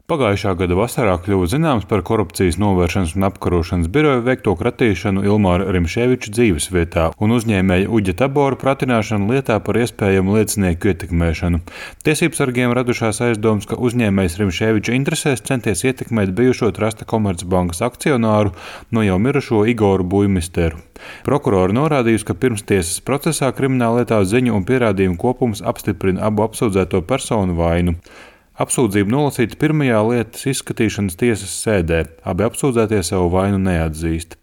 Pagājušā gada vasarā kļuva zināms par Korupcijas novēršanas un apkarošanas biroja veikto kratīšanu Ilmāra Rimšēviča dzīvesvietā un uzņēmēja Uģa Tabora pratināšanu lietā par iespējamu liecinieku ietekmēšanu. Tiesībsargiem radušās aizdomas, ka uzņēmējs Rimšēviča interesēs centies ietekmēt bijušo Trasta Komercbankas akcionāru no jau mirušo Igoru Buimisteru. Prokurori norādījusi, ka pirmstiesas procesā krimināllietā ziņu un pierādījumu kopums apstiprina abu apsūdzēto personu vainu. Apsūdzība nolasīta pirmajā lietas izskatīšanas tiesas sēdē. Abi apsūdzētie savu vainu neatzīst.